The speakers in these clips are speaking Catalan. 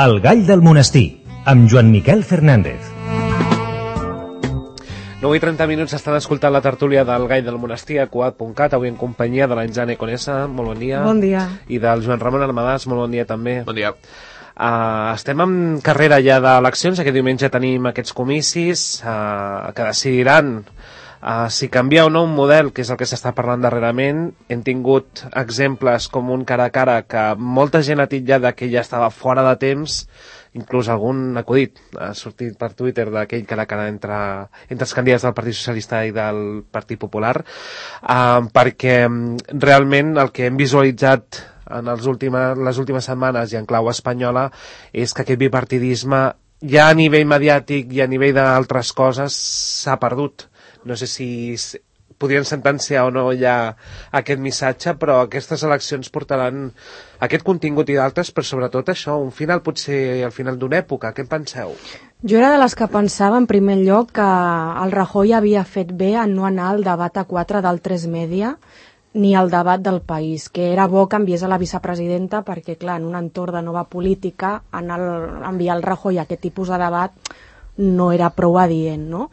El gall del monestir, amb Joan Miquel Fernández. 9:30 estan escoltant la tertúlia del Gall del Monestir a Cugat.cat, avui en companyia de l'Anjane Conesa, molt bon dia. Bon dia. I del Joan Ramon Armadàs, molt bon dia també. Bon dia. Estem en carrera ja d'eleccions, aquest diumenge tenim aquests comicis que decidiran si canvia o no un model, que és el que s'està parlant darrerament. Hem tingut exemples com un cara a cara que molta gent ha titllat que ja estava fora de temps, inclús algun acudit ha sortit per Twitter d'aquell cara a cara entre els candidats del Partit Socialista i del Partit Popular, perquè realment el que hem visualitzat en les últimes setmanes i en clau espanyola és que aquest bipartidisme ja a nivell mediàtic i a nivell d'altres coses s'ha perdut. No sé si podrien sentenciar o no ja aquest missatge, però aquestes eleccions portaran aquest contingut i d'altres, però sobretot això, un final potser al final d'una època. Què en penseu? Jo era de les que pensava, en primer lloc, que el Rajoy havia fet bé en no anar al debat a 4 del 3 Media ni al debat del País, que era bo que enviés a la vicepresidenta perquè, clar, en un entorn de nova política, enviar el Rajoy a aquest tipus de debat no era prou adient, no?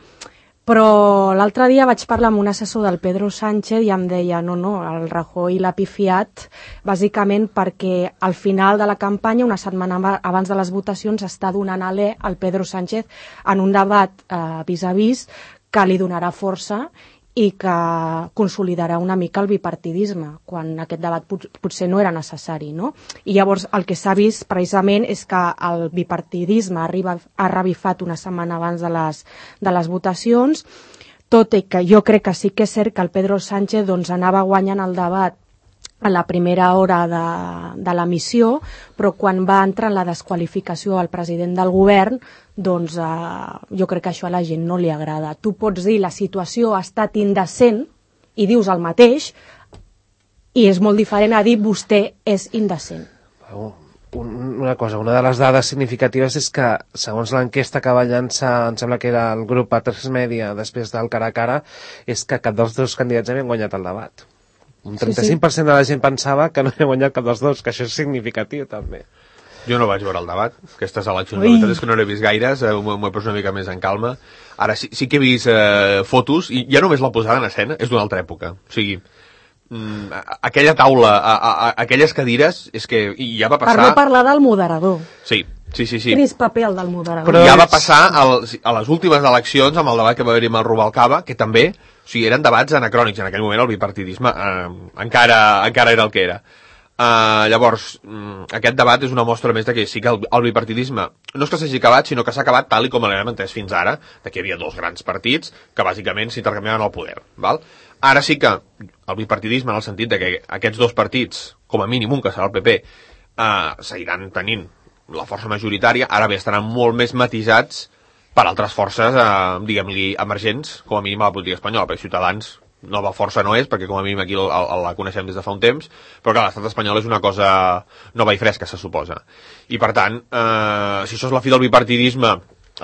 Però l'altre dia vaig parlar amb un assessor del Pedro Sánchez i em deia no, el Rajoy l'ha pifiat bàsicament perquè al final de la campanya, una setmana abans de les votacions, està donant alè al Pedro Sánchez en un debat vis a vis que li donarà força i que consolidarà una mica el bipartidisme, quan aquest debat potser no era necessari, no? I llavors el que s'ha vist precisament és que el bipartidisme ha revifat una setmana abans de les votacions, tot i que jo crec que sí que és cert que el Pedro Sánchez anava guanyant el debat a la primera hora de la missió, però quan va entrar en la desqualificació al president del govern, jo crec que això a la gent no li agrada. Tu pots dir la situació ha estat indecent i dius el mateix, i és molt diferent a dir vostè és indecent. Una cosa, una de les dades significatives és que, segons l'enquesta que va llançar, em sembla que era el grup A3 Media després del cara a cara, és que cap dels dos candidats havien guanyat el debat. Un 35% de la gent pensava que no havia guanyat cap dels dos, que això és significatiu també. Jo no vaig veure el debat, aquestes eleccions, la veritat és que no n'he vist gaires, m'ho he posat una mica més en calma. Ara sí que he vist fotos, i ja només la posada en escena és d'una altra època. O sigui, aquella taula, aquelles cadires, és que ja va passar... Per no parlar del moderador. Sí. Quin és paper el del moderador? Però ja va passar a les últimes eleccions, amb el debat que va haver-hi amb el Rubalcaba, que també, o sigui, eren debats anacrònics. En aquell moment el bipartidisme encara era el que era. Llavors, aquest debat és una mostra més de que sí que el bipartidisme no és que s'hagi acabat, sinó que s'ha acabat tal i com l'hem entès fins ara, de que hi havia dos grans partits que bàsicament s'intercanviaven el poder. Val? Ara sí que el bipartidisme, en el sentit de que aquests dos partits, com a mínim un que serà el PP, seguiran tenint la força majoritària, ara bé estaran molt més matisats per altres forces, diguem-li, emergents, com a mínim a la política espanyola, perquè Ciutadans nova força no és, perquè com a mínim aquí la coneixem des de fa un temps, però que l'estat espanyol és una cosa nova i fresca, se suposa. I per tant, si això és la fi del bipartidisme,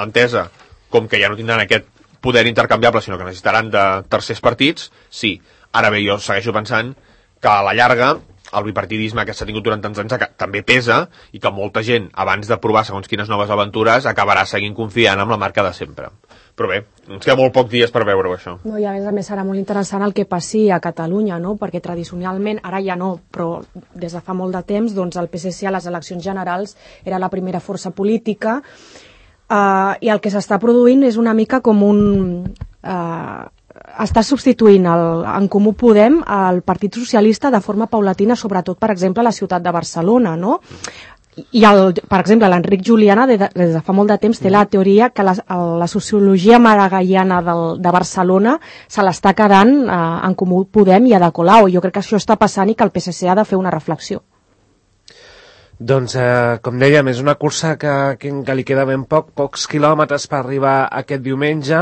entesa com que ja no tindran aquest poder intercanviable, sinó que necessitaran de tercers partits, sí. Ara bé, jo segueixo pensant que a la llarga el bipartidisme que s'ha tingut durant tants anys també pesa i que molta gent, abans de provar segons quines noves aventures, acabarà seguint confiant en la marca de sempre. Però bé, ens queda molt pocs dies per veure-ho, això. No, i a més serà molt interessant el que passi a Catalunya, no? Perquè tradicionalment, ara ja no, però des de fa molt de temps, el PSC a les eleccions generals era la primera força política, i el que s'està produint és una mica com està substituint en Comú Podem el Partit Socialista de forma paulatina, sobretot, per exemple, a la ciutat de Barcelona, no? I, per exemple, l'Enric Juliana, des de fa molt de temps, té la teoria que la sociologia maragallana de Barcelona se l'està quedant en Comú Podem i a Ada Colau. Jo crec que això està passant i que el PSC ha de fer una reflexió. Doncs, com dèiem, és una cursa que li queda ben pocs quilòmetres per arribar aquest diumenge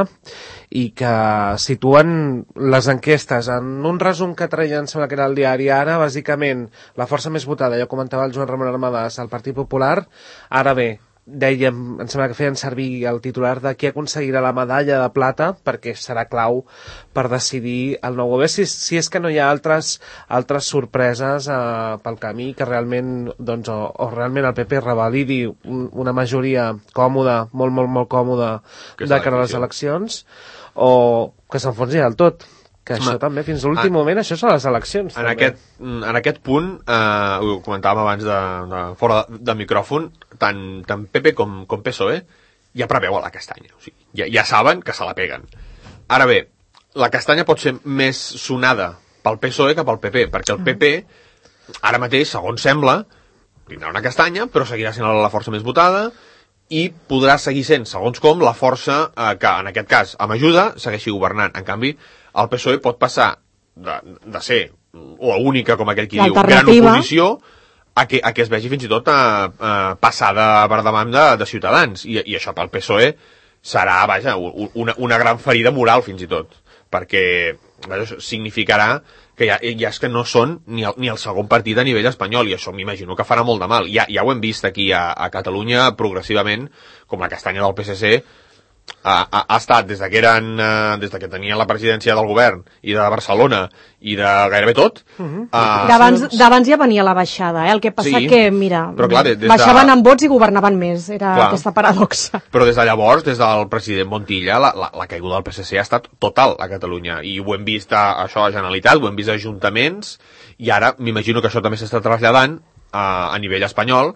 i que situen les enquestes en un resum que traien, sembla que era el diari Ara, bàsicament la força més votada, ja comentava el Joan Ramon Armadàs, el Partit Popular. Ara bé, dèiem, em sembla que feien servir el titular de qui aconseguirà la medalla de plata, perquè serà clau per decidir el nou govern, si és que no hi ha altres sorpreses pel camí, que realment doncs, o realment el PP revalidi una majoria còmoda, molt, molt, molt còmoda de cara a les eleccions, o que s'enfonsi del tot. Que això també, fins a l'últim moment, això són les eleccions. En aquest punt, ho comentàvem abans fora de micròfon, tant PP com PSOE ja preveuen la castanya. O sigui, ja saben que se la peguen. Ara bé, la castanya pot ser més sonada pel PSOE que pel PP, perquè el PP, ara mateix, segons sembla, tindrà una castanya, però seguirà sent la força més votada i podrà seguir sent, segons com, la força que, en aquest cas, amb ajuda, segueixi governant. En canvi, el PSOE pot passar de ser l'única, com aquell qui diu, gran oposició, a que es vegi fins i tot passada per davant de Ciutadans. I això pel PSOE serà, vaja, una gran ferida moral, fins i tot, perquè significarà que ja és que no són ni el segon partit a nivell espanyol, i això m'imagino que farà molt de mal. Ja ho hem vist aquí a Catalunya progressivament, com la castanya del PSC ha estat des que tenien la presidència del govern i de Barcelona i de gairebé tot. D'abans ja venia la baixada, el que passa que, mira, baixaven en vots i governaven més, era aquesta paradoxa. Però des de llavors, des del president Montilla, la caiguda del PSC ha estat total a Catalunya, i ho hem vist això a Generalitat, ho hem vist a ajuntaments, i ara m'imagino que això també s'està traslladant a nivell espanyol,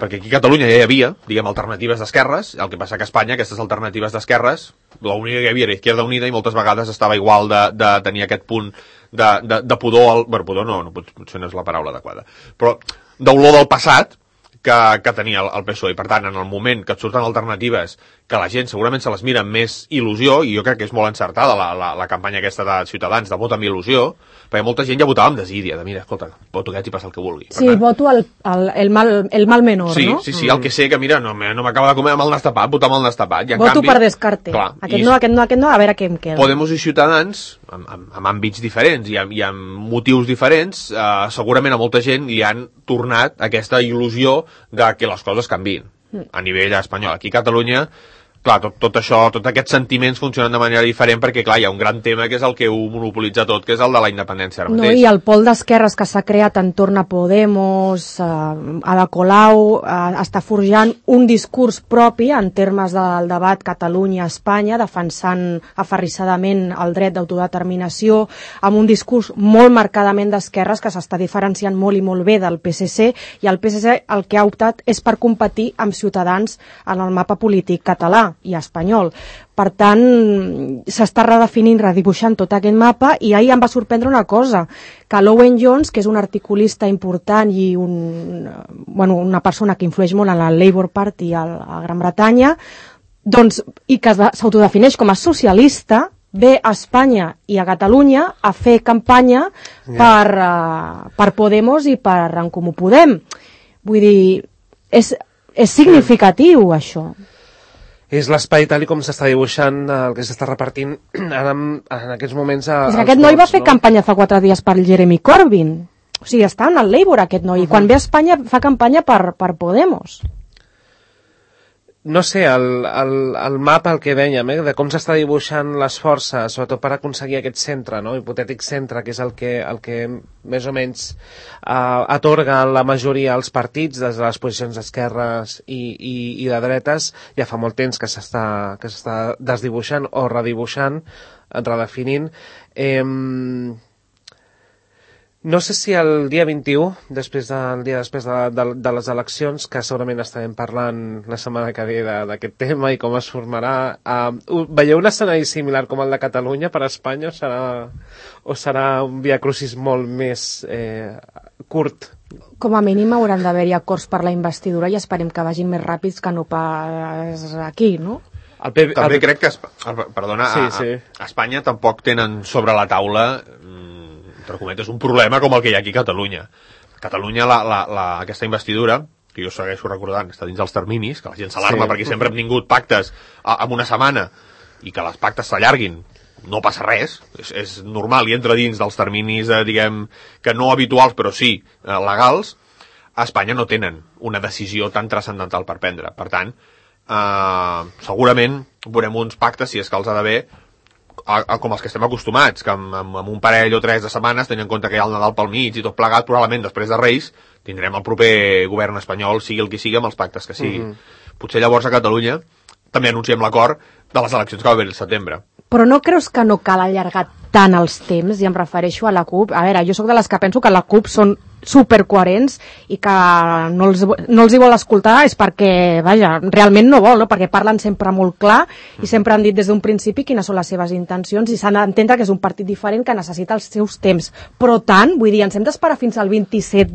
perquè aquí a Catalunya ja hi havia, diguem, alternatives d'esquerres, el que passa que a Espanya aquestes alternatives d'esquerres, l'única que hi havia era Izquierda Unida, i moltes vegades estava igual de tenir aquest punt de pudor, bueno, pudor no, potser no és la paraula adequada, però d'olor del passat que tenia el PSOE. I per tant, en el moment que et surten alternatives que la gent segurament se les mira amb més il·lusió, i jo crec que és molt encertada la campanya aquesta de Ciutadans de vot amb il·lusió, perquè molta gent ja votava amb desídia, de mira, escolta, voto aquest i passa el que vulgui. Sí, voto el mal menor, sí, no? Sí, el que sé que, mira, no m'acaba de comer amb el nas tapat, votar amb el nas tapat. Voto per descarte. Aquest no, a veure què em queda. Podemos i Ciutadans, amb àmbits diferents i amb motius diferents, segurament a molta gent li han tornat aquesta il·lusió de que les coses canviïn a nivell espanyol. Aquí a Catalunya, clar, tot això, tots aquests sentiments funcionen de manera diferent, perquè, clar, hi ha un gran tema que és el que ho monopolitza tot, que és el de la independència ara mateix. No, i el pol d'esquerres que s'ha creat entorn a Podemos, Ada Colau, està forjant un discurs propi en termes del debat Catalunya-Espanya, defensant aferrissadament el dret d'autodeterminació, amb un discurs molt marcadament d'esquerres que s'està diferenciant molt i molt bé del PSC, i el PSC el que ha optat és per competir amb Ciutadans en el mapa polític català i espanyol. Per tant, s'està redefinint, redibuixant tot aquest mapa, i ahir em va sorprendre una cosa, que l'Owen Jones, que és un articulista important i una persona que influeix molt en el Labour Party a Gran Bretanya, doncs, i que s'autodefineix com a socialista, ve a Espanya i a Catalunya a fer campanya per Podemos i per En Comú Podem. Vull dir, és significatiu, això. És l'espai tal com s'està dibuixant, el que s'està repartint ara en aquests moments. Aquest noi va fer campanya fa 4 dies per Jeremy Corbyn. O sigui, està en el Labour, aquest noi. I quan ve a Espanya fa campanya per Podemos. No sé, el mapa, el que dèiem, de com s'està dibuixant les forces, sobretot per aconseguir aquest centre, no? Hipotètic centre, que és el que més o menys atorga la majoria als partits des de les posicions d'esquerres i de dretes, ja fa molt temps que s'està desdibuixant o redibuixant, redefinint. No sé si el dia 21, després de les eleccions, que segurament estarem parlant la setmana que ve d'aquest tema i com es formarà, veieu un escenari similar com el de Catalunya per a Espanya, o serà un viacrucis molt més curt? Com a mínim hauran d'haver-hi acords per la investidura, i esperem que vagin més ràpids que no pas aquí, no? També crec que a Espanya tampoc tenen sobre la taula, entre cometes, un problema com el que hi ha aquí a Catalunya. Catalunya, aquesta investidura, que jo segueixo recordant, està dins dels terminis, que la gent s'alarma perquè sempre hem tingut pactes en una setmana i que les pactes s'allarguin. No passa res, és normal, i entra dins dels terminis, diguem, que no habituals, però sí legals. a Espanya no tenen una decisió tan transcendental per prendre. Per tant, segurament veurem uns pactes, si és que els ha d'haver, com els que estem acostumats, que amb un parell o 3 de setmanes, tenint en compte que hi ha el Nadal pel mig i tot plegat, probablement després de Reis tindrem el proper govern espanyol, sigui el que sigui, amb els pactes que sigui. Potser llavors a Catalunya també anunciem l'acord de les eleccions que va haver al setembre. Però no creus que no cal allargar tant els temps, i em refereixo a la CUP? A veure, jo sóc de les que penso que la CUP són supercoherents i que no els hi vol escoltar és perquè, vaja, realment no vol, no? Perquè parlen sempre molt clar i sempre han dit des d'un principi quines són les seves intencions i s'han d'entendre que és un partit diferent que necessita els seus temps. Però tant, vull dir, ens hem d'esperar fins al 27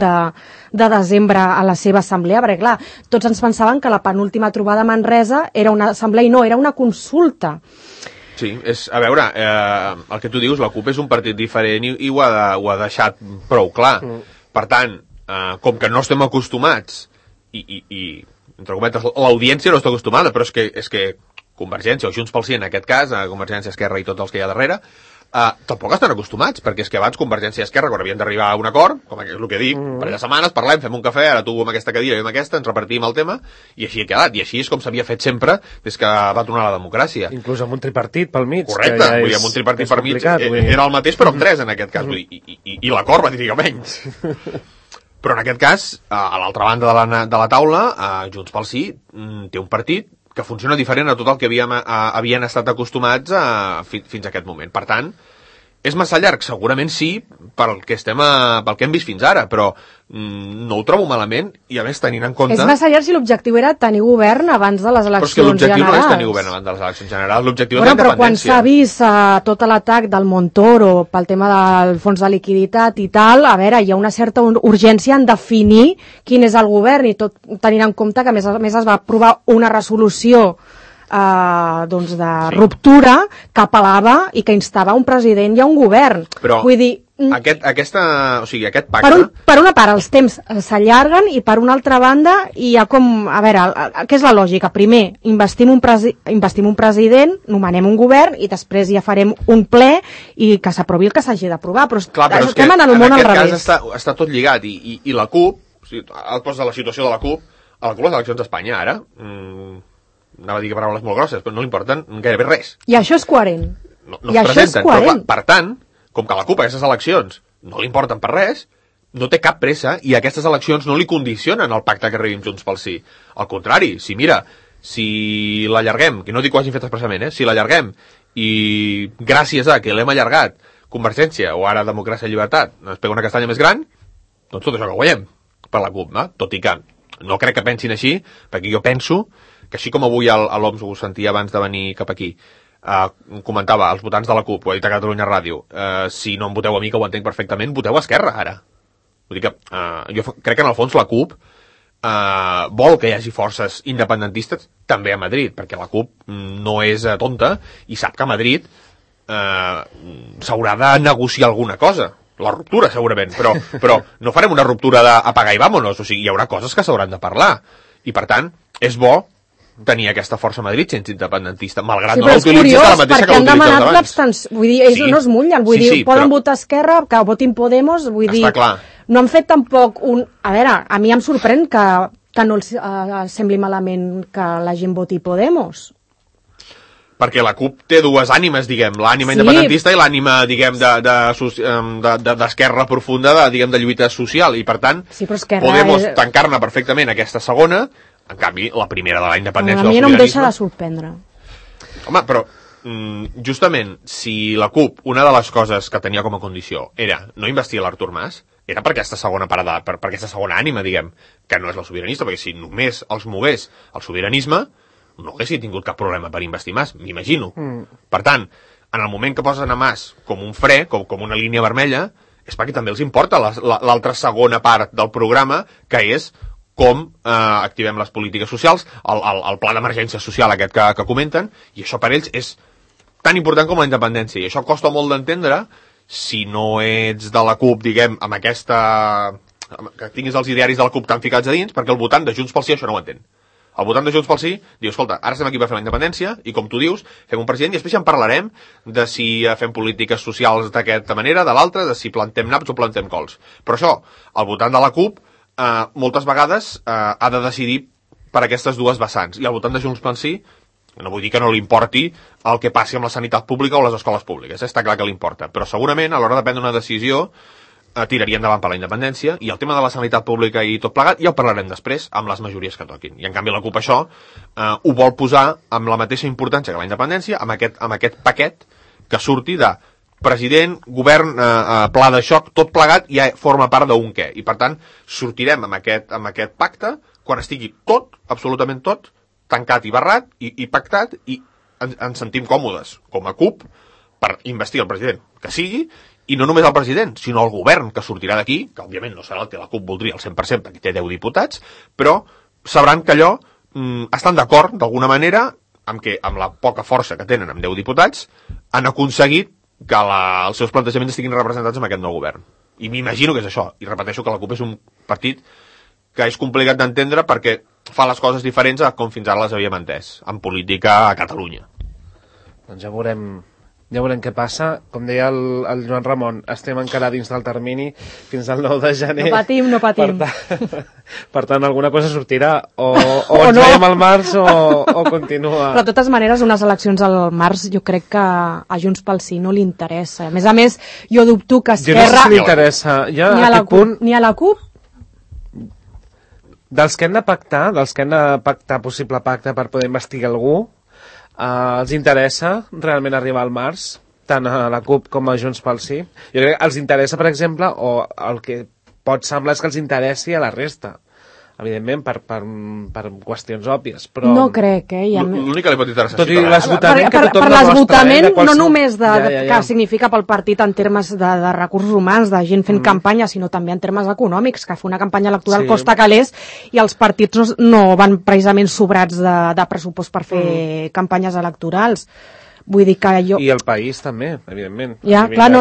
de desembre a la seva assemblea, perquè clar, tots ens pensaven que la penúltima trobada a Manresa era una assemblea i no, era una consulta. Sí, a veure, el que tu dius, la CUP és un partit diferent i ho ha deixat prou clar. Per tant, com que no estem acostumats i entre cometes, l'audiència no està acostumada, però és que Convergència, o Junts pel Sí en aquest cas, Convergència, Esquerra i tots els que hi ha darrere, tampoc estan acostumats, perquè és que abans Convergència i Esquerra, quan havien d'arribar a un acord, com és el que dic, per les setmanes parlem, fem un cafè, ara tu amb aquesta cadira i amb aquesta, ens repartim el tema, i així ha quedat, i així és com s'havia fet sempre des que va tornar la democràcia. Inclús amb un tripartit pel mig. Correcte, ja vull dir, amb un tripartit per mig era el mateix, però amb 3 en aquest cas, vull dir, i l'acord va dir menys. Però en aquest cas, a l'altra banda de la taula, Junts pel Sí té un partit que funciona diferent a tot el que havien estat acostumats fins a aquest moment. Per tant, és massa llarg? Segurament sí, pel que hem vist fins ara, però no ho trobo malament, i a més tenint en compte... És massa llarg si l'objectiu era tenir govern abans de les eleccions generals. Però és que l'objectiu no és tenir govern abans de les eleccions generals, l'objectiu és la independència. Però quan s'ha vist tot l'atac del Montoro pel tema del fons de liquiditat i tal, a veure, hi ha una certa urgència en definir quin és el govern, i tot tenint en compte que a més es va aprovar una resolució de ruptura que apel·lava i que instava un president i un govern. Però vull dir, aquest pacte... Per una part, els temps s'allarguen, i per una altra banda hi ha com... A veure, què és la lògica? Primer, investim un president, nomenem un govern, i després ja farem un ple i que s'aprovi el que s'hagi d'aprovar. Però estem anant al món al revés. En aquest cas està tot lligat, i la CUP, el post de la situació de la CUP, a les eleccions d'Espanya ara... anava a dir que paraules molt grosses, però no li importen gairebé res. I això és coherent. No es presenten, però clar, per tant, com que la CUP a aquestes eleccions no li importen per res, no té cap pressa, i aquestes eleccions no li condicionen el pacte que arribi amb Junts pel Sí. Al contrari, si l'allarguem, que no dic que ho hagin fet expressament, si l'allarguem, i gràcies a que l'hem allargat, Convergència, o ara Democràcia i Llibertat, ens pega una castanya més gran, doncs tot això que guanyem per la CUP, no? Tot i que no crec que pensin així, perquè jo penso que així com avui l'OMS ho sentia abans de venir cap aquí, comentava als votants de la CUP, ho ha dit a Catalunya Ràdio, si no em voteu a mi, que ho entenc perfectament, voteu a Esquerra ara. Vull dir que jo crec que en el fons la CUP vol que hi hagi forces independentistes també a Madrid, perquè la CUP no és tonta i sap que a Madrid s'haurà de negociar alguna cosa. La ruptura, segurament, però no farem una ruptura d'apagar i vámonos, o sigui, hi haurà coses que s'hauran de parlar, i per tant, és bo tenir aquesta força a Madrid sense independentista, malgrat no l'utilitzis de la mateixa que l'utilitzes abans. Vull dir, ells no es mullen, vull dir, poden votar Esquerra, que votin Podemos, vull dir, no han fet tampoc un... A veure, a mi em sorprèn que no els sembli malament que la gent voti Podemos. Perquè la CUP té dues ànimes, diguem, l'ànima independentista i l'ànima, diguem, d'esquerra profunda, de lluita social, i per tant, Podemos tancar-ne perfectament aquesta segona. En canvi, la primera de la independència del sobiranisme... A mi no em deixa de sorprendre. Home, però, justament, si la CUP, una de les coses que tenia com a condició era no investir l'Artur Mas, era per aquesta segona parada, per aquesta segona ànima, diguem, que no és la sobiranista, perquè si només els mogués el sobiranisme, no haguessin tingut cap problema per investir Mas, m'imagino. Per tant, en el moment que posen a Mas com un fre, com una línia vermella, és perquè també els importa l'altra segona part del programa, que és com activem les polítiques socials, el pla d'emergència social aquest que comenten, i això per ells és tan important com la independència, i això costa molt d'entendre si no ets de la CUP, diguem, amb aquesta... que tinguis els idearis de la CUP tan ficats a dins, perquè el votant de Junts pel Sí això no ho entén. El votant de Junts pel Sí diu, escolta, ara estem aquí per fer la independència, i com tu dius, fem un president, i després ja en parlarem de si fem polítiques socials d'aquesta manera, de l'altra, de si plantem naps o plantem cols. Però això, el votant de la CUP moltes vegades ha de decidir per aquestes dues vessants. I al voltant de Junts pel Sí, no vull dir que no li importi el que passi amb la sanitat pública o les escoles públiques, està clar que li importa, però segurament a l'hora de prendre una decisió tiraria endavant per la independència, i el tema de la sanitat pública i tot plegat ja ho parlarem després amb les majories que toquin. I en canvi la CUP això ho vol posar amb la mateixa importància que la independència, amb aquest paquet que surti de president, govern, pla de xoc, tot plegat ja forma part d'un què. I per tant sortirem amb aquest pacte quan estigui tot, absolutament tot, tancat i barrat i pactat, i ens sentim còmodes com a CUP per investir el president que sigui, i no només el president, sinó el govern que sortirà d'aquí, que òbviament no serà el que la CUP voldria al 100%, perquè té 10 diputats, però sabran que allò estan d'acord d'alguna manera amb la poca força que tenen amb 10 diputats, han aconseguit que els seus plantejaments estiguin representats en aquest nou govern. I m'imagino que és això. I repeteixo que la CUP és un partit que és complicat d'entendre perquè fa les coses diferents a com fins ara les havíem entès en política a Catalunya. Doncs ja veurem què passa. Com deia el Joan Ramon, estem encara dins del termini fins al 9 de gener. No patim. Per tant, alguna cosa sortirà. O ens veiem al març o continua. Però de totes maneres, unes eleccions al març jo crec que a Junts pel Sí no li interessa. A més, jo dubto que Esquerra... Jo no sé si li interessa. Ni a la CUP. Dels que han de pactar, possible pacte per poder investigar algú, els interessa realment arribar al març, tant a la CUP com a Junts pel Sí? Jo crec que els interessa, per exemple, o el que pot semblar és que els interessi a la resta, evidentment, per qüestions òbvies, però... No crec, L'únic que li pot interessar... Tot i l'esgotament que tothom per l'esgotament, no només que significa pel partit en termes de recursos humans, de gent fent campanya, sinó també en termes econòmics, que fer una campanya electoral costa calés, i els partits no van precisament sobrats de pressupost per fer campanyes electorals. Vull dir que jo... I el país també, evidentment. Ja, clar,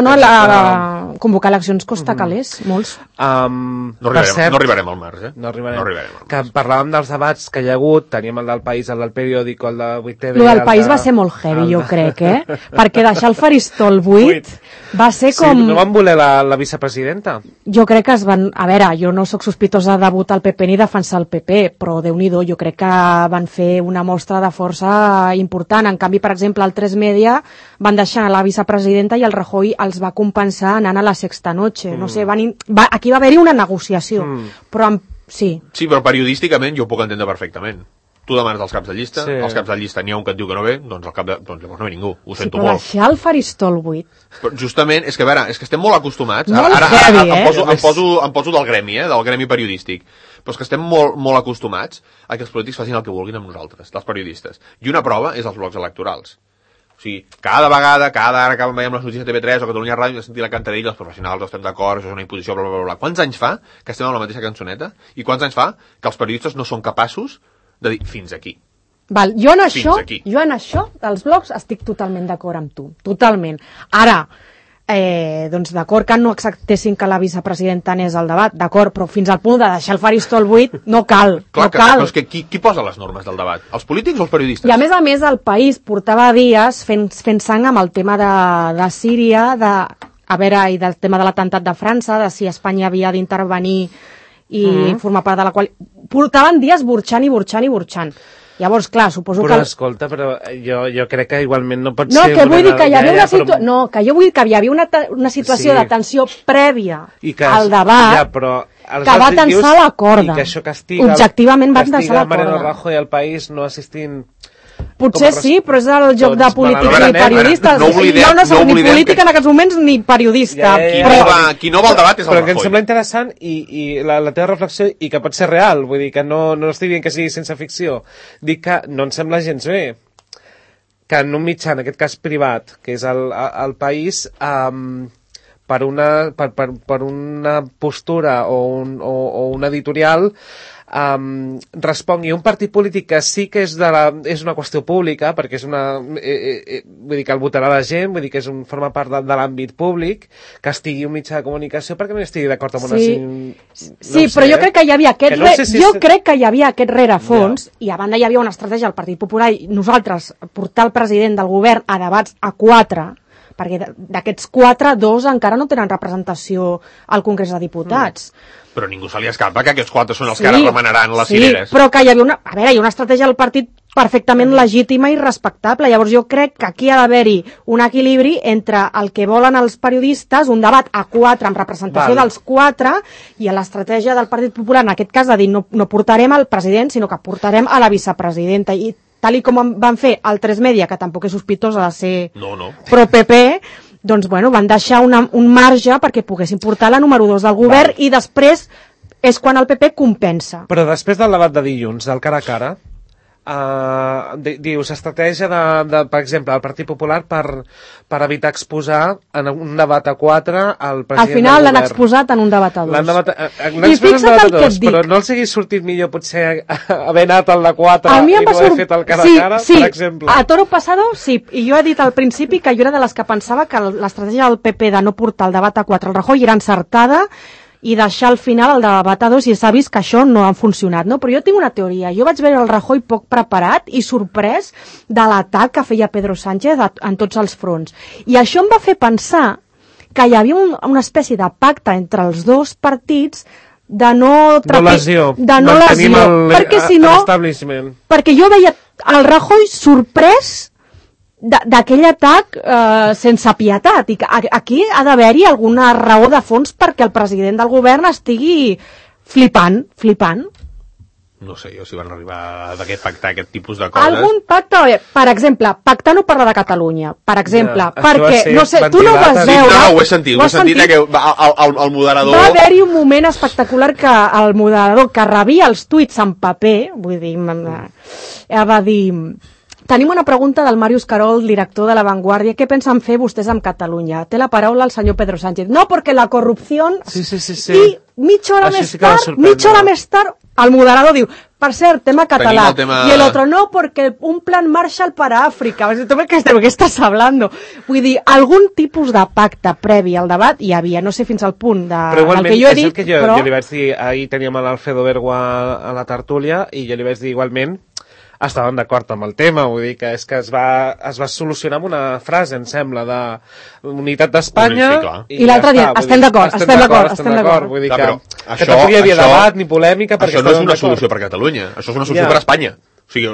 convocar eleccions costa calés, molts. No arribarem al març, No arribarem. Que parlàvem dels debats que hi ha hagut, teníem el del País, el del Periòdico, el de 8TV... El del País va ser molt heavy, jo crec, perquè deixar el faristol buit va ser com... Sí, no van voler la vicepresidenta? Jo crec que es van... A veure, jo no sóc sospitosa de votar el PP ni defensar el PP, però Déu-n'hi-do, jo crec que van fer una mostra de força important. En canvi, per exemple, el 3 Media van deixar a la vicepresidenta i el Rajoy els va compensar anant a la sexta noche. No sé, aquí va haver-hi una negociació, però sí. Sí, però periodísticament jo ho puc entendre perfectament. Tu demanes els caps de llista, els caps de llista n'hi ha un que et diu que no ve, doncs llavors no ve ningú, ho sento molt. Però deixar el faristol buit... Però justament, és que a veure, és que estem molt acostumats, em poso del gremi periodístic, però és que estem molt acostumats a que els polítics facin el que vulguin amb nosaltres, dels periodistes. I una prova és els blocs electorals. O sigui, cada vegada, ara que veiem les notícies de TV3 o Catalunya Ràdio, sentir la cantarella, els professionals estem d'acord, això és una imposició, bla, bla, bla. Quants anys fa que estem amb la mateixa cançoneta? I quants anys fa que els periodistes no són capaços de dir fins aquí? Val, jo en això, dels blogs, estic totalment d'acord amb tu. Totalment. Ara, doncs d'acord que no acceptessin que la vicepresidenta anés al debat, d'acord, però fins al punt de deixar el faristol buit no cal. Clar, però és que qui posa les normes del debat? Els polítics o els periodistes? I a més el País portava dies fent sang amb el tema de Síria, i del tema de l'atemptat de França, de si Espanya havia d'intervenir i formar part de la qual... Portaven dies burxant. Llavors, clar, suposo que... Però escolta, però jo crec que igualment no pot ser... No, que vull dir que hi havia una situació... No, que jo vull dir que hi havia una situació de tensió prèvia al debat que va tensar la corda. I que això castiga... Objectivament va tensar la corda. Mariano Rajoy al País no assistint... Potser sí, però és el joc de polítics i periodistes. Jo no soc ni política en aquests moments ni periodista. Qui no va al debat és el Rajoy. Però que em sembla interessant i la teva reflexió, i que pot ser real, vull dir que no estic dient que sigui sense ficció, dic que no em sembla gens bé que en un mitjà, en aquest cas privat, que és el País, per una postura o un editorial respongui un partit polític que sí que és una qüestió pública, perquè és vull dir que el votarà la gent, vull dir que forma part de l'àmbit públic, que estigui un mitjà de comunicació perquè no estigui d'acord amb una... Sí, però jo crec que hi havia aquest rerefons, i a banda hi havia una estratègia del Partit Popular i nosaltres portar el president del govern a debats a 4, perquè d'aquests 4, 2 encara no tenen representació al Congrés de Diputats. Però ningú se li escapa que aquests 4 són els que ara remenaran les cireres. Però que hi havia una estratègia del partit perfectament legítima i respectable. Llavors jo crec que aquí ha d'haver-hi un equilibri entre el que volen els periodistes, un debat a 4 amb representació dels 4, i a l'estratègia del Partit Popular, en aquest cas, de dir no portarem al president, sinó que portarem a la vicepresidenta. I tal com van fer el 3 Media, que tampoc és sospitosa de ser pro-PP, doncs van deixar un marge perquè poguessin portar la número 2 del govern i després és quan el PP compensa. Però després del debat de dilluns, del cara a cara, dius, estratègia per exemple, del Partit Popular per evitar exposar en un debat a 4 al president del govern. Al final l'han exposat en un debat a 2. L'han exposat en debat a 2, però no els hagués sortit millor potser haver anat al de 4 i no haver fet el cara a cara, per exemple? A toro pasado, sí. I jo he dit al principi que jo era de les que pensava que l'estratègia del PP de no portar el debat a 4 al Rajoy era encertada i deixar al final el debat a 2, i s'ha vist que això no ha funcionat, no? Però jo tinc una teoria. Jo vaig veure el Rajoy poc preparat i sorprès de l'atac que feia Pedro Sánchez en tots els fronts. I això em va fer pensar que hi havia una espècie de pacte entre els dos partits de no lesió. Perquè si no... Perquè jo veia el Rajoy sorprès d'aquell atac sense pietat, i aquí ha d'haver-hi alguna raó de fons perquè el president del govern estigui flipant. No sé jo si van arribar a pactar aquest tipus de coses. Algun pacte, per exemple, pactar no parlar de Catalunya, per exemple, perquè, no sé, tu no ho vas veure... No, ho he sentit que el moderador... Va haver-hi un moment espectacular que el moderador que rebia els tuits en paper, vull dir, va dir... Tenim una pregunta del Màrius Carol, director de La Vanguardia. Què pensen fer vostès amb Catalunya? Té la paraula el senyor Pedro Sánchez. No, perquè la corrupció... Sí. I mitja hora més tard, el moderador diu, per cert, tema català. I el otro, no, perquè un plan Marshall para Àfrica. ¿De què estàs hablando? Vull dir, algun tipus de pacte previ al debat hi havia, no sé fins al punt del que jo he dit, però... Jo li vaig dir, ahir teníem l'Alfredo Bergua a la tertúlia, i jo li vaig dir igualment estaven d'acord amb el tema, vull dir que és que es va solucionar amb una frase, em sembla, de unitat d'Espanya, i l'altre dia, estem d'acord. Vull dir que tampoc hi havia debat ni polèmica. Això no és una solució per Catalunya, això és una solució per Espanya. O sigui,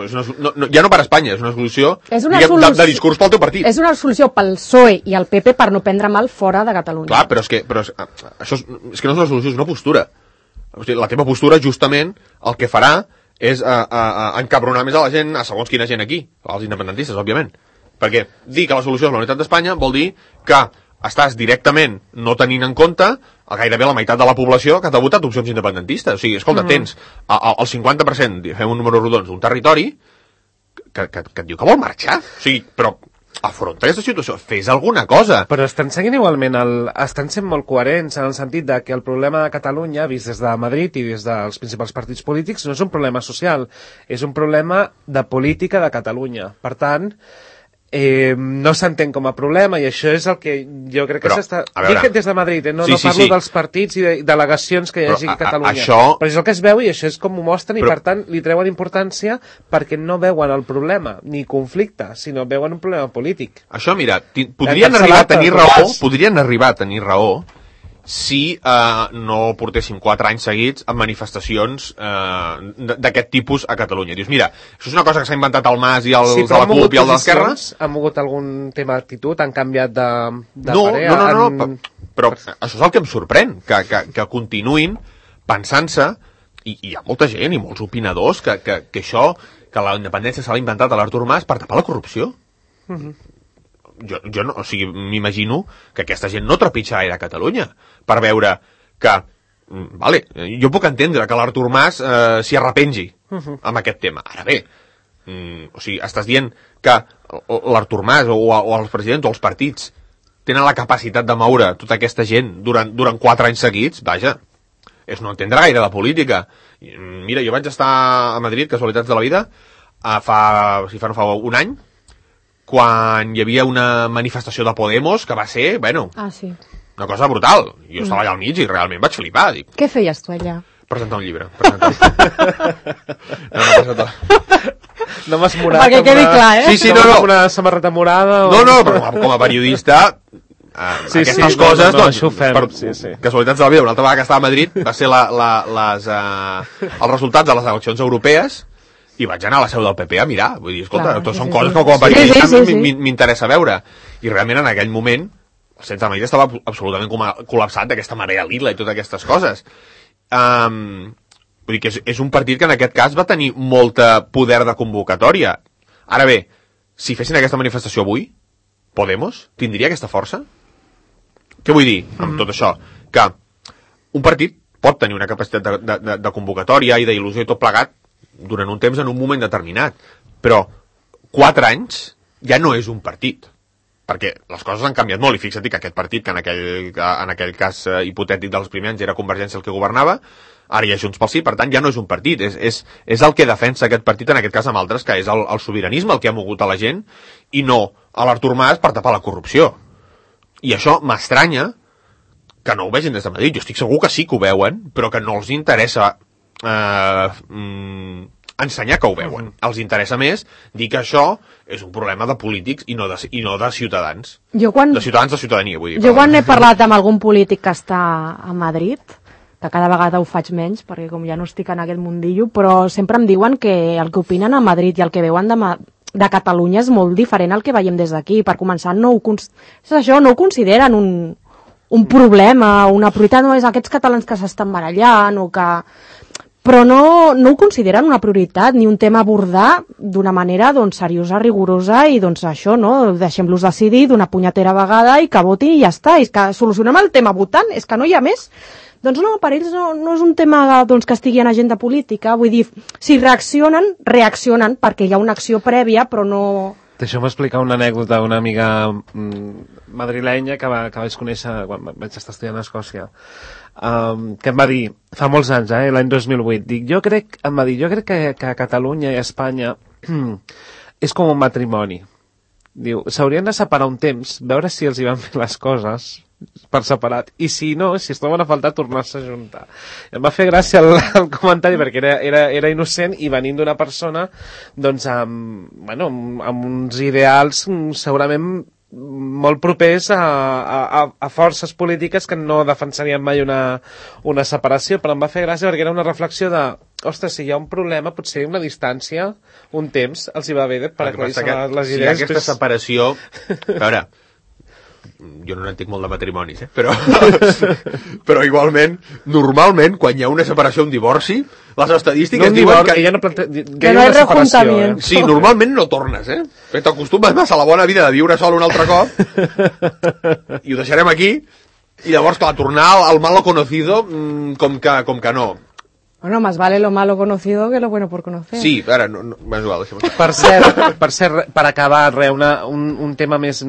ja no per Espanya, és una solució de discurs pel teu partit. És una solució pel PSOE i el PP per no prendre mal fora de Catalunya. Clar, però és que això és que no és una solució, és una postura. O sigui, la teva postura, justament, el que farà és encabronar més a la gent, a segons quina gent aquí, als independentistes, òbviament. Perquè dir que la solució és la unitat d'Espanya vol dir que estàs directament no tenint en compte gairebé la meitat de la població que t'ha votat opcions independentistes. O sigui, escolta, tens el 50%, fem un número rodons, d'un territori que et diu que vol marxar. O sigui, però afronta aquesta situació, fes alguna cosa. Però estan seguint igualment, estan sent molt coherents en el sentit de que el problema de Catalunya, vist des de Madrid i des dels principals partits polítics, no és un problema social, és un problema de política de Catalunya. Per tant, no s'entén com a problema, i això és el que jo crec que s'està... Dic des de Madrid, no parlo dels partits i de delegacions que hi hagi a Catalunya. Però és el que es veu i això és com ho mostren, i per tant li treuen importància perquè no veuen el problema, ni conflicte, sinó veuen un problema polític. Això, mira, podrien arribar a tenir raó si no portéssim 4 anys seguits amb manifestacions d'aquest tipus a Catalunya. Dius, mira, això és una cosa que s'ha inventat el Mas i els de la CUP i el de l'Esquerra. Han mogut algun tema d'actitud? Han canviat de parer? No, però això és el que em sorprèn, que continuïn pensant-se, i hi ha molta gent i molts opinadors que això, que la independència se l'ha inventat a l'Artur Mas per tapar la corrupció. Jo no, o sigui, m'imagino que aquesta gent no trepitja gaire a Catalunya per veure que, vale, jo puc entendre que l'Artur Mas s'hi arrepengi amb aquest tema. Ara bé, o sigui, estàs dient que l'Artur Mas o els presidents o els partits tenen la capacitat de moure tota aquesta gent durant 4 anys seguits, vaja, és no entendre gaire la política. Mira, jo vaig estar a Madrid, casualitats de la vida, fa un any, quan hi havia una manifestació de Podemos que va ser, bueno, una cosa brutal. Jo estava allà al mig i realment vaig flipar. Dic, què feies tu allà? Presentar un llibre. No m'has morat. Perquè quedi clar, Sí, una samarreta morada. No, però com a periodista aquestes coses, doncs, això ho fem, per casualitats de la vida, una altra vegada que estava a Madrid va ser els resultats de les eleccions europees i vaig anar a la seu del PP a mirar, vull dir, escolta, són coses que com a periodista m'interessa veure, i realment en aquell moment el centre de Madrid estava absolutament col·lapsat d'aquesta marea lila i totes aquestes coses. Vull dir que és un partit que en aquest cas va tenir molta poder de convocatòria. Ara bé, si fessin aquesta manifestació avui, Podemos tindria aquesta força? Què vull dir amb tot això? Que un partit pot tenir una capacitat de convocatòria i d'il·lusió i tot plegat durant un temps en un moment determinat, però 4 anys ja no és un partit, perquè les coses han canviat molt, i fixa't que aquest partit, que en aquell cas hipotètic dels primers anys era Convergència el que governava, ara hi ha Junts pel Sí, per tant ja no és un partit, és el que defensa aquest partit, en aquest cas amb altres, que és el sobiranisme el que ha mogut a la gent, i no a l'Artur Mas per tapar la corrupció. I això m'estranya que no ho vegin des de Madrid. Jo estic segur que sí que ho veuen, però que no els interessa ensenyar que ho veuen. Els interessa més dir que això és un problema de polítics i no de ciutadans. De ciutadans de ciutadania, vull dir. Jo quan he parlat amb algun polític que està a Madrid, que cada vegada ho faig menys, perquè com ja no estic en aquest mundillo, però sempre em diuen que el que opinen a Madrid i el que veuen de Catalunya és molt diferent al que veiem des d'aquí. Per començar, no ho consideren un problema, una prioritat, no és aquests catalans que s'estan barallant o que... Però no ho consideren una prioritat ni un tema a abordar d'una manera doncs, seriosa, rigorosa i doncs això, no? Deixem-los decidir d'una punyetera vegada i que votin i ja està. És que solucionem el tema votant, és que no hi ha més. Doncs no, per ells no és un tema doncs, que estigui en agenda política. Vull dir, si reaccionen perquè hi ha una acció prèvia, però no... Deixeu-me explicar una anècdota d'una amiga madrilenya que vaig conèixer quan vaig estar estudiant a Escòcia, que em va dir, fa molts anys, l'any 2008, jo crec que Catalunya i Espanya és com un matrimoni. Diu, s'haurien de separar un temps, veure si els hi van fer les coses per separat, i si no, si es troben a faltar, tornar-se a juntar. Em va fer gràcia el comentari perquè era innocent i venint d'una persona doncs amb uns ideals segurament molt propers a forces polítiques que no defensarien mai una separació, però em va fer gràcia perquè era una reflexió de ostres, si hi ha un problema, potser una distància, un temps, els hi va bé per aclarir-se les idees. Si hi ha aquesta separació... A veure, jo no n'entenc molt de matrimonis, però igualment, normalment, quan hi ha una separació, un divorci, les estadístiques diuen que... Que no hi ha rejuntament. Sí, normalment no tornes, Perquè t'acostumes massa a la bona vida de viure sol un altre cop, i ho deixarem aquí, i llavors, clar, tornar al malo conocido, com que no. Bueno, más vale lo malo conocido que lo bueno por conocer. Sí, ara, no, és igual, per cert, per acabar, un tema més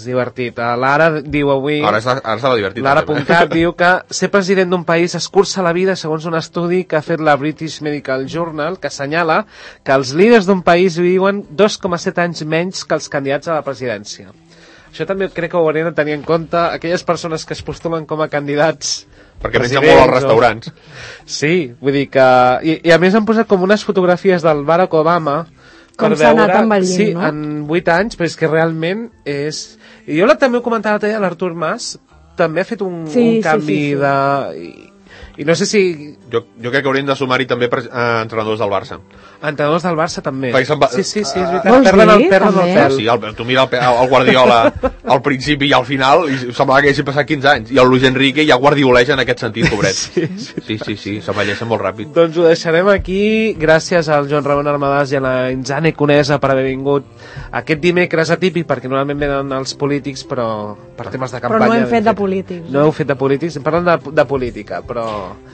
divertit. L'Ara diu avui... Ara estava divertit. L'Ara.cat diu que ser president d'un país escurça la vida segons un estudi que ha fet la British Medical Journal, que assenyala que els líders d'un país viuen 2,7 anys menys que els candidats a la presidència. Això també crec que ho haurem de tenir en compte aquelles persones que es postulen com a candidats perquè mengen molt als restaurants. Sí, vull dir que... I a més han posat com unes fotografies del Barack Obama com s'ha anat envellint, sí, no? en 8 anys, però és que realment és... I jo també ho comentava l'altre dia, l'Artur Mas també ha fet un canvi de... I no sé si... Jo crec que haurien de sumar-hi també entrenadors del Barça. Entrenadors del Barça també. Sí, és veritat. Perden el pèl. Sí, tu mira el Guardiola al principi i al final i semblava que haguessin passat 15 anys. I el Luis Enrique ja guardioleja en aquest sentit, pobret. Sí, s'envelleixen molt ràpid. Doncs ho deixarem aquí. Gràcies al Joan Ramon Armadàs i a la Inzane Conesa per haver vingut aquest dimecres atípic, perquè normalment venen els polítics, però per temes de campanya... Però no hem fet de polítics. No heu fet de polítics, parlem de política, però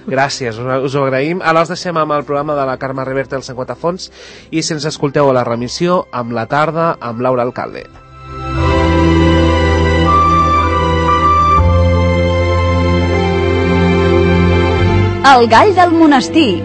gràcies, us ho agraïm. Ara els deixem amb el programa de la Carme Reverte al 50 Fons i si ens escolteu a la remissió amb la tarda amb Laura Alcalde. El gall del monestir,